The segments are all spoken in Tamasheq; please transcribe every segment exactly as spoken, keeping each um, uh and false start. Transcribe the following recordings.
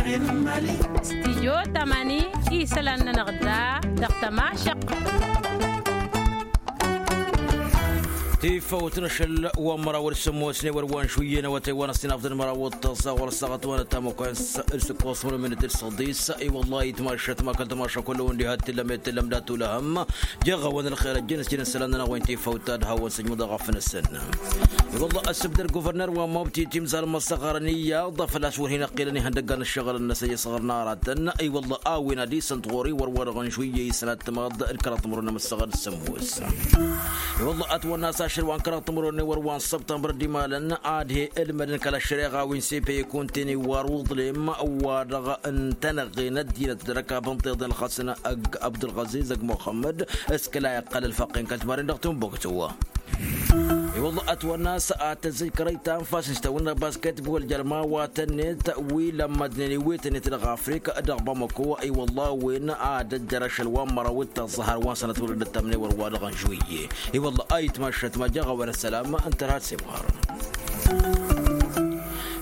Stijyo tămani isălan-nănăɣ da dăɣ-tămašăɣt. Tifawt n-ašăl wa n-măraw d-sămoosne wăr wa n-šuyyen awătay wa n-ăssinafḍăn măraw d-tăẓẓa ɣur-ăssaɣăt wa n-ătamăkwa n-s-dd săkkoẓ mănămănăt d-săḍis. I-wălla-hi tmašăt ma kăl-tamaša kull-wen diha t-tǝllăm i-tǝllăm dat-ulăhăm. Jeɣ-awăn ălxer ăjjăn s-jăn isălan-nănăɣ wa n-tifawt ta d-hawăn-săjmăḍ aɣăf-năsăn. I-wălla-hi ăssǝbdăr guvărner wa n-mobti timẓal n-măssăɣărăn iyyăḍ făl-a-s wăr hin-ăqqilăn ihăndăggan n-ǝššăɣǝl-năsăn i-săɣrăn aratăn. I-wălla-hi a-wen ad-isǝnt ɣur-i wăr wa dăɣ-nǝšwǝyye isălan d-tǝmaḍ d-kăraḍ timǝrwen n-amăssăɣăr d-sămoos. I-wălla-hi ătwănna a-s ašăl wa n-kăraḍ timǝrwen n-ewăr wa n-săbtămbăr d-imalăn ad-he-ǝlmădăn kăla ăššăreɣa wi n-sepe ikunten iwar uḍlem wa dăɣ-n tănăɣen ăddinăt d-răkab n-tiḍen ălxasăn ăgg abdulɣaziz ăgg muxămmăd s-kăla iqqăl ălfăqqen kăl-timaren dăɣ-timbuktu. I-wălla-hi ătwănna a-s ad-tăzzăj kărăy ta n-fasnǝs tawǝnna basketbol jer-mawatăn-net wi lămmădnen iwetăn-net dăɣ-afrika dăɣ-bamako. I-wălla-hi a-wen ad-ăjjăr ašăl wa n-măraw d-tăẓẓa har wa n-sănăt wăr dd-ăttamnen wăr wa dăɣ-nǝžwǝyye. I-wălla-hi a itmašăt ma jaɣ-awăn ăssălam ǝntăr had-sewhar.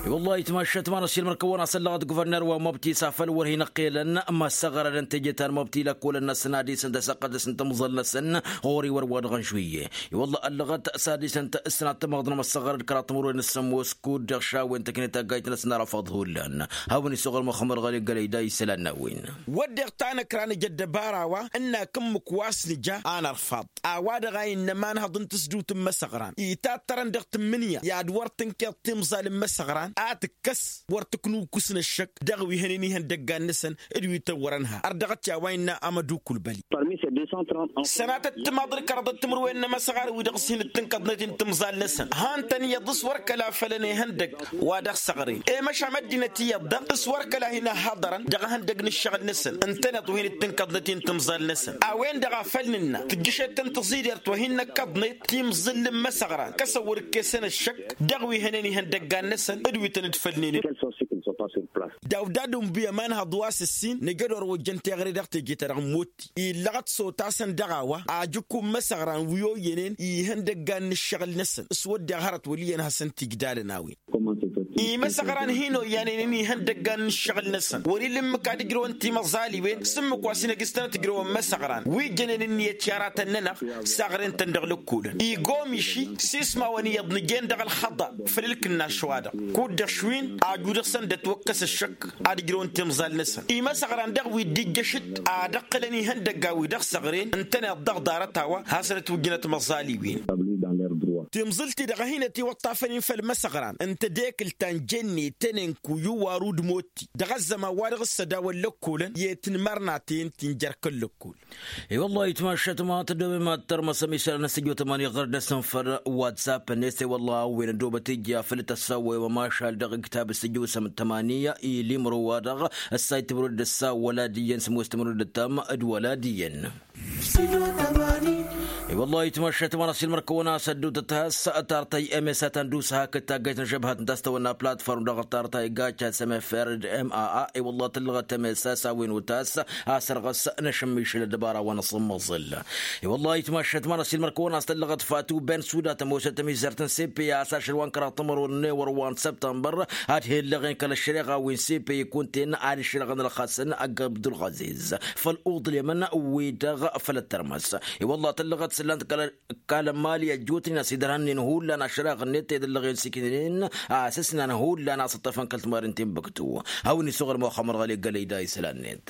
I-wălla-hi a itmašăt ma n-ăssiilmăr-kăwăn a-s ăllăɣăt guvărner wa n-mobti s-afăl wăr hin-ăqqelăn măssăɣrădăn teje ta n-mobti lăkkolăn-năsăn ad-isǝn tasăqqălt s-n-tǝmẓal-năsăn ɣur-i wăr wa dăɣ-nǝžwǝyye. I-wălla-hi ăllăɣăt s-ad-isǝn tăsnat tămăḍnăm ăssăɣrăd kăraḍ timǝrwen n-sămoos kud-dăɣ šawen tăknet taggayt-năsăn arafăḍ hullan. Hawăn isăɣrăm ăxmăr ɣăli gălăy da isălan n-a-wen. Wădden tanăkra nǝja ăddăbara wa ǝnnak ǝmmǝk wa s-nǝja anărfaḍ a-wa-dăɣ a innă imanhăḍ n-tǝsdǝwt n-imăsăɣran itattărăn dăɣ-tǝmmǝnǝya i-ad-wăr tǝnkeḍ timẓal n-imăsăɣran a tǝkkăs wăr tǝknǝwkǝsnă ăššăk dăɣ-wi hănen ihăndăggan-năsăn d-wi tăwwărăn ha ărdăɣăt i-a-wa innă amădukul băli. Sănatăt timaḍ d-kăraḍăt timǝrwen n-imăsăɣar wi-dăɣ s-hin-dd-tǝnkăḍnet-in timẓal-năsăn han-tăn iyyăḍ s-wăr kăla fălăn ihăndăgg wa dăɣ-săɣren i-măšan ăddinăt iyyăḍ-dăɣ s-wăr kăla hin-ăhhaḍărăn dăɣ-ehăndăgg n-ǝššăɣǝl-năsăn ǝntăneḍ wa hin-dd-tǝnkăḍnet-in timẓal-năsăn. A-wen-dăɣ a făl nǝnna tǝjjăšet-tăn tăẓidert wa hin-năkkăḍnet timẓǝl n-imăsăɣran kăsăn wăr ǝkkesăn ăššăk dăɣ-wi hănen ihăndăggan-năsăn d-wi tăn-dd-fălnen. Dawdad unbi ămanhăḍ wa s-ǝssin nǝjăd orăwăjjăn teɣăre dăɣ-teje-ta-dăɣ n-motti illăɣăt s-otasăn dăɣ-a-wa ajǝkku n-imăsăɣran wi oyyănen ihăndăggan n-ǝššăɣǝl-năsăn s-wădden hărăt wăl' iyyăn hasăn-t-ijlalăn a-wen. Imăsăɣran hin-oyyanen ihăndăggan n-ǝššăɣǝl-năsăn wăr-ila ǝmmǝk ad-ǝjrăwăn timăẓaliwen s-ǝmmǝk wa s-hin-ăgg s-tănăt-ǝjrăwăn imăsăɣran wi jănen ǝnniyăt i-aratăn-nănăɣ s-aɣrǝn-tăn dăɣ-lăkkolăn igomiši s-ismawăn iyyăḍ nǝjen dăɣ-ălxăḍa făll-ǝlkǝnnaš-wa-dăɣ kud-dăɣ šwin aju dăɣ-săn dd-ătwăkkăs ăššăk ad-ǝjrăwăn timẓal-năsăn imăsăɣran dăɣ-wi dd-ijjăšăt ad-ǝqqǝlăn ihăndăgga wi dăɣ-săɣren ǝntăneḍ dăɣ-ḍarăt a-wa hasăn-ătwǝjjǝnăt imăẓaliwen. Timẓǝl-ti-dăɣ a hin-ătiwăṭṭafăn-in făll-imăsăɣran ǝnta dekǝlt ta n-jenne tenenku i-uwaru d-motti dăɣ-ăzzăman wa dăɣ-s ădawăn lăkkolăn i-tinmărnaten ti n-jer-kăl-lăkkol. I-wăllah itmašăt ma tăddoobem ad-tărmăsăm isălan n-săjjot ămani ɣăr-dăɣ-săn făll-whatsapp-net i-wăllah a-wen ăddoobăt ija făll-tăssawăyăm ămašal dăɣ-iktab s-ăjjosăm tămani i-limro-wa-dăɣ ăssay timǝrwen d-ăssa wăla d-iyyăn sămoos timǝrwen d-ăttam d-wăla d-iyyăn. I-wăllah itmašăt ma n-ăsilmăr-kăwăn a-s ăddootăt has-tartăy emesa ta n-dusa hakd taggayt n-ažăbhat n-ta s-tawănna platform dăɣ-tartăy gacat s-emeferd maa i-wăllah tǝllăɣăt emesa s-a-wen utas a-s ărɣăs n-ašǝmmišǝl ăddăbara wa n-asǝmmăẓǝl. I-wăllah itmašăt ma n-ăsilmăr-kăwăn a-s tǝllăɣăt fatu ben suda tămoosăt tămizărt n-sepe a-s ašăl wa n-kăraḍ timărwen n-ewăr wa n-săbtămbăr ad-he-ǝllăɣen kăl-ăššăreɣa wi n-sepe ikun-ten ad-ǝššăreɣăn ălxasăn ăgg abdulɣaziz făll-uḍlem n-wi-dăɣ făll-ăttărmăs. I-wăllah tǝllăɣăt s-ǝllan-t kăl-ămali ăjjootnen a-s idărhănnen hullan ašăreɣ-net ed ǝllăɣen s-iknǝnen a-s ǝsnan hullan a-s ǝṭṭăfăn kăl-timaren tinbǝktu. Hawăn-isuɣǝl muxămmăr ɣăli gălăy da isălan-net.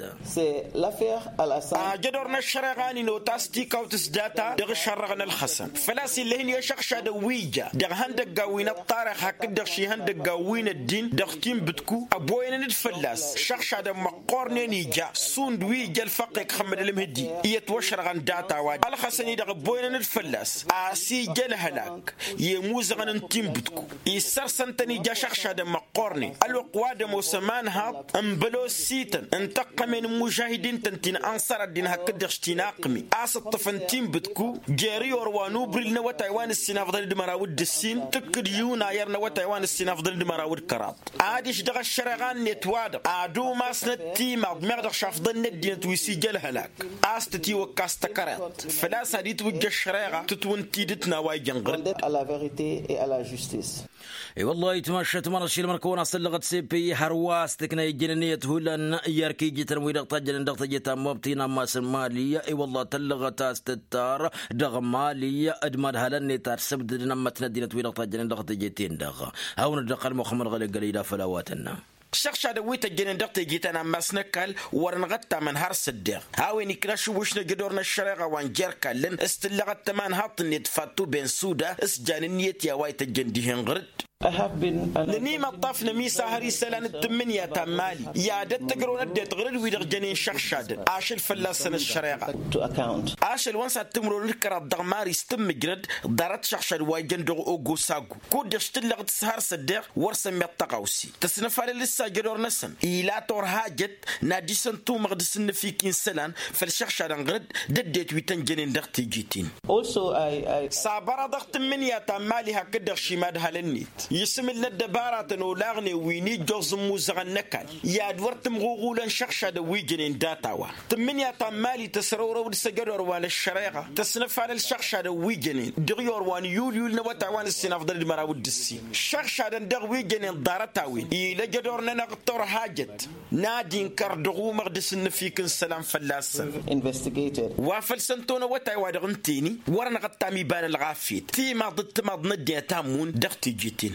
Ajădor n-ăššăreɣa n-inotas tikawt s-data dăɣ-išărrăɣ n-ălxăsăn făl-a-s ill'-e-hin i-ašăɣšadăn wi ija dăɣ-ihăndăggan wi n-ăṭṭarăɣ hakd-dăɣ šihăndăggan wi n-ăddin dăɣ-tinbǝtku ăboyănăn-dd fălla-s šăɣšadăn măqqornen ija šund wi ija ălfăqqek xămmăd ălmǝhdi. I-ătwăšăr ɣăn data-wa ălxăsăn-i-dăɣ ăboyănăn-dd fălla-s a-s ija ălhălak i-imuzăɣăn n-tinbǝtku issărsăn-tăn ija šăɣšadăn măqqornen ălwăqq wa d-ămoos ămanhaḍ n-bălosităn n-tăqqămen n-imužahidin-tăn ti n-ănṣăr ăddin hakd-dăɣ s-tinaqmi a-s ǝṭṭǝfăn tinbǝtku jer-iyor wa n-ubril n-awătay wa n-ǝssin afḍăn d-măraw d-ǝssin tǝkkǝd yunayăr n-awătay wa n-ǝssin afḍăn d-măraw d-kăraḍ. Adiš dăɣ-ăššăreɣa-net wa-dăɣ ad-umasnăt timaḍ meɣ dăɣ-šafḍăn n-ăddinăt wi s-ija ălhălak a-s tătiwăkkas tăkăreḍt făl-a-s ad-itwǝ. Ujjăš šăreɣa tǝtwǝn tidǝt n-a-wa ijăn ɣǝr-dd. I-wăllah itmašat mănăɣ šilmăr kăwăn-asăllăɣăt sepe hărwa s-tǝkna ijjăn ǝnniyăt hullan i-erk ijităn wi-dăɣ tajjănen dăɣ-teje ta n-mobti n-ammas n-mali. I-wăllah tăllăɣăt a-s tǝttar dăɣ-mali d-madhălăn-net ad-sǝbdǝdăn ămmătnăt dinăt wi-dăɣ tajjănen dăɣ-teje-ten-dăɣ. Hawăn-dd-ăqqăl muxămmăd ɣăli gălăy d-afăl a-wa tănna. Šăɣšadăn wi tăjjănen dăɣ-teje ta n-ammas n-ăkall wăr-năɣ ăttamăn har s-ăddeɣ a-wen ikna ašǝwwǝš n-ajădor n-ăššăreɣa wa n-jer-ikall s-tǝllăɣăt tămanhaḍt-net fattu ben suda s-jan ǝnniyăt i-a-wa ităjjăn dihen ɣǝr-dd. Nănimăṭṭaf n-ămisa har isălan d-tǝmmǝnǝya ta n-mali i-ad-ăttăjrăw n-ăddinăt ɣǝr-dd wi-dăɣ jănen šăɣšadăn ašăl fălla-săn ăššăreɣa. Ašăl wa n-sad-timǝrwen d-kăraḍ dăɣ-mari s-tǝmmǝjrăd ḍarăt šăɣšad wa ijăn dăɣ-ogosagu. Kud-dăɣ s-tǝllăɣ d-s-har s-ăddeɣ wăr săn miḍ tăɣawse tăsnăfalăl s-ajădor-năsăn ila torhajăt n-ad-isăn tumăɣ d-asǝnnǝfik-in isălan făll-išăɣšadăn ɣǝr-dd d-ăddinăt wi tăn-jănen dăɣ-teje-ten. S-abăraḍăɣ tǝmmǝnǝya ta n-mali hakd-dăɣ šimadhălăn-net isǝmǝl n-ăddăbaratăn olaɣnen wi n-ijjoẓ n-imuzăɣăn n-ăkall i-ad-wăr tǝmɣuɣulăn šăɣšadăn wi jănen data-wa. Tǝmmǝnǝya ta n-mali tăsrăwrăw d-s-ajădor wa n-ăššăreɣa tăsnăfalăl šăɣšadăn wi jănen dăɣ-iyor wa n-yulyul n-awătay wa n-ǝssin afḍăn d-măraw d-ǝssin šăɣšadăn dăɣ-wi jănen ḍarăt-a-wen ila ajădor-nănăɣ torhajăt n-ad-inkăr dăɣ-umăɣ d-asǝnnǝfik n-isălan fălla-săn. Wa făl săn ton awătay wa dăɣ-ǝnta-eni wăr-năɣ ăttam iba n-ălɣafyăt timaḍ d-timaḍ n-ăddinăt a ǝmmun dăɣ-teje-ten.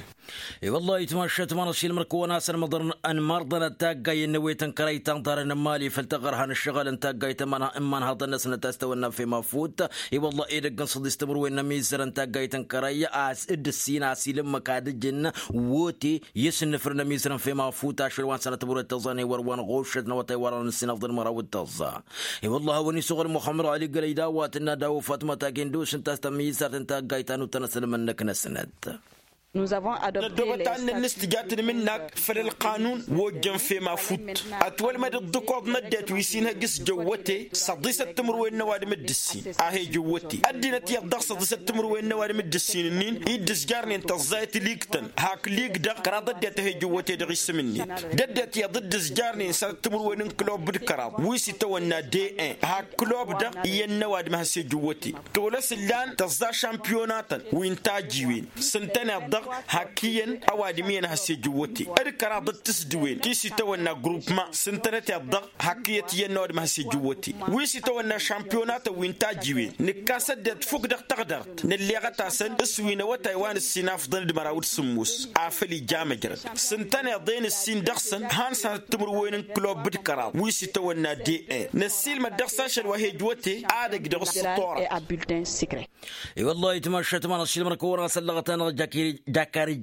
I-wăllah itmašat mănăɣ šilmăr-kăwăn-asăn măḍărăn ănmărḍănăt taggayen n-ewet n-kărăy ta n-ḍarăn n-mali făll-taɣărha n-ǝššăɣǝl n-taggayt n-imanhaḍăn-năsnăt a-s tawănna n-femafutt. I-wăllah edăgg n-săḍis timǝrwen n-ămizărăn taggayt n-kărăy a-s dd-ǝssin a-s ila ǝmmǝk ad-ǝjǝn wote i-asǝnnǝfrǝn ămizărăn femafutt ašăl wa n-sănăt timǝrwen d-tăẓẓa n-ewăr wa n-ɣuššăt n-awătay wa dăɣ-nǝssin afḍăn măraw d-tăẓẓa. I-wăllah a-wen isuɣǝl muxămmăd ɣali gălăy d-a-wa tǝnna d-a-wa fatma tagendus ǝnta a-s tămizărt n-taggayt ta n-uttăn asǝlmǝnnǝk-năsnăt. Năddobăt ad-nănnǝs tǝja tǝnmǝnnak făll-ălqanun wa ojjăn femafutt. Ătwălmăd ǝḍḍǝkoḍ n-ăddinăt wi s-inhăj s-jăwwăte săḍisăt timǝrwen n-ăwadǝm d-ǝssin a he-jăwwăte. Ăddinăt iyyăḍ dăɣ-săḍisăt timǝrwen n-ăwadǝm d-ǝssin-ǝnnin i dd-ǝzjarnen tăẓẓayăt lig-tăn hak lig-dăɣ kăraḍ ăddinăt a he-jăwwăte dăɣ-isǝm-net. D-ăddinăt iyyăḍ dd-ǝzjarnen s-ad-timǝrwen n-klub d-kăraḍ wi s-itawănna de-en hak klub-dăɣ iyyăn n-ăwadǝm a has-e-jăwwăte. Tolăs ǝllan tăẓẓa šampiyonatăn wi n-tajiwen s-ǝntăneḍ-dăɣ hak iyyăn ăwadǝm iyyăn a has-e-jăwwăte. D-kăraḍ d-tǝsdǝwen ti s-itawănna grupma s-ǝntănăteḍ-dăɣ hak iyyăt iyyăn n-ăwadǝm a has-e-jăwwăte. Wi s-itawănna šampiyonatăn wi n-tajiwen nǝkkas ăddinăt fukk dăɣ-taɣdart nǝlleɣăt-asăn s-wi n-awătay wa n-ǝssin afḍăn d-măraw d-sǝmmos afăl ija măjrăd s-ǝntăneḍ-en ǝssin dăɣ-săn han-săn timǝrwen n-klub d-kăraḍ wi s-itawănna de-en. Năssiilmăd dăɣ-s ašăl wa he-ǝjwăte ad-ăj dăɣ-s tora. I-wăllah itmašat ma n-ašilmăr kăwăn-asăllăɣăt-anăɣ jakari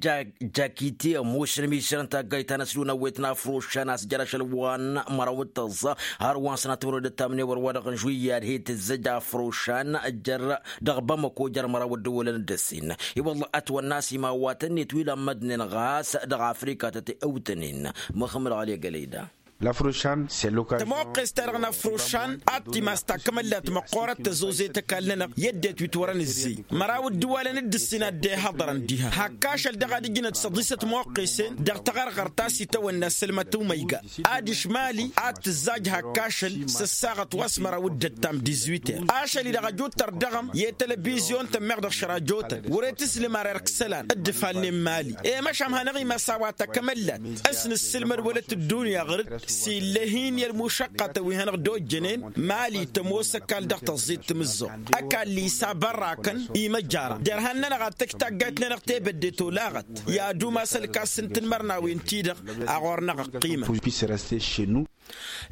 jakite ămoos n-ămisăr n-taggayt ta n-ăslu n-ăwwet n-afrošan a-s jăr ašăl wa n-măraw d-tăẓẓa har wa n-sănat timǝrwen d-ăttamnen wăr wa dăɣ-n žuyyad he-tǝzzăj afrošan jăr dăɣ-bamăko jăr măraw ăddăwălăn d-ăssin. I-wăllah ătwănna a-s imawatăn-net wi lămmădnen ɣas dăɣ-afrika tăt-ewtănen. Măxămăd ɣali ăgg ălăyda. Tămoqqes-ta-dăɣ n-afrošan ad-timas takmăllat măqqoorăt tăzozet ăkall-nănăɣ i-ăddinăt wi t-wărăn ǝzzey măraw ǝddǝwalăn d-ǝssin a dd-ehăḍărăn diha hak ašăl dăɣ-ad-ǝjnăt săḍisăt moqqesen dăɣ-taɣărɣărt ta s-itawănna s-ălmăt umăyga. Adiš mali ad-tǝzzaj hak ašăl s-ăssaɣăt wa s-măraw d-ăttam dizwiter ašăl-i-dăɣ ăjutăr dăɣ-ăm i-telebizyon tămmeɣ dăɣ-šăra jotăn wăr-e tǝslǝm ar erk isălan. Dd-ǝfalnen mali i-măšan hanăɣ-imas a-wa takămăllat s-nǝssǝlmăd wălăt ăddunya ɣur-dd s-illăh-in i-ălmušăqqatăn wi hanăɣ-dd-ojjănen. Mali tămoos ăkall dăɣ-tăẓẓit timǝzzuɣt ăkall-i s-abărrakăn imăjjara derhan-nănăɣ ad-tăj taggayt-nănăɣ tebădde tolaɣăt. I-ad-umas ălkas n-tinmărnawen-ti-dăɣ a ɣur-năɣ ăqqimăn.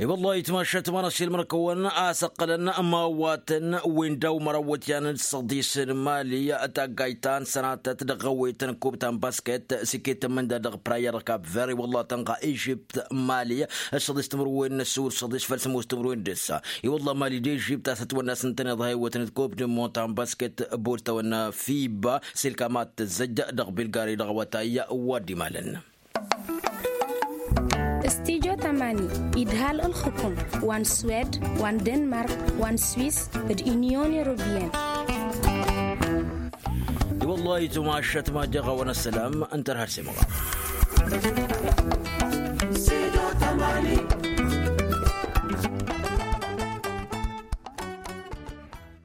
I-wăllah itmašat ma n-ašilmăr-kăwăn a-s ǝqqălăn imawatăn wi n-daw-măraw iwǝtyan d-săḍis n-mali taggayt ta n-sănatăt dăɣ-ăwwet n-kub ta n-basket s-iket n-imǝnda dăɣ-prayer kap-ver i-wăllah tănɣa ižipt mali. S-săḍis timǝrwen n-ăssur săḍis făll-sămoos timǝrwen d-ǝssa. I-wăllah mali d-ižipt a-s ătwănna a-s ǝntăneḍ ha iwwătăn d-kub d-monta n-basket bol tăwănna fiba s-ilkam ad-tǝzzăj dăɣ-bilgari dăɣ-awătay wa dd-imalăn. Studyo tamani idhal ǝlxǝkum wa n-swed wa n-denmark wa n-swis d-unyon europeyăn. I-wăllah itmašat ma j-eɣawăn ăssălam ǝntăr har s-imɣa. Studyo tamani.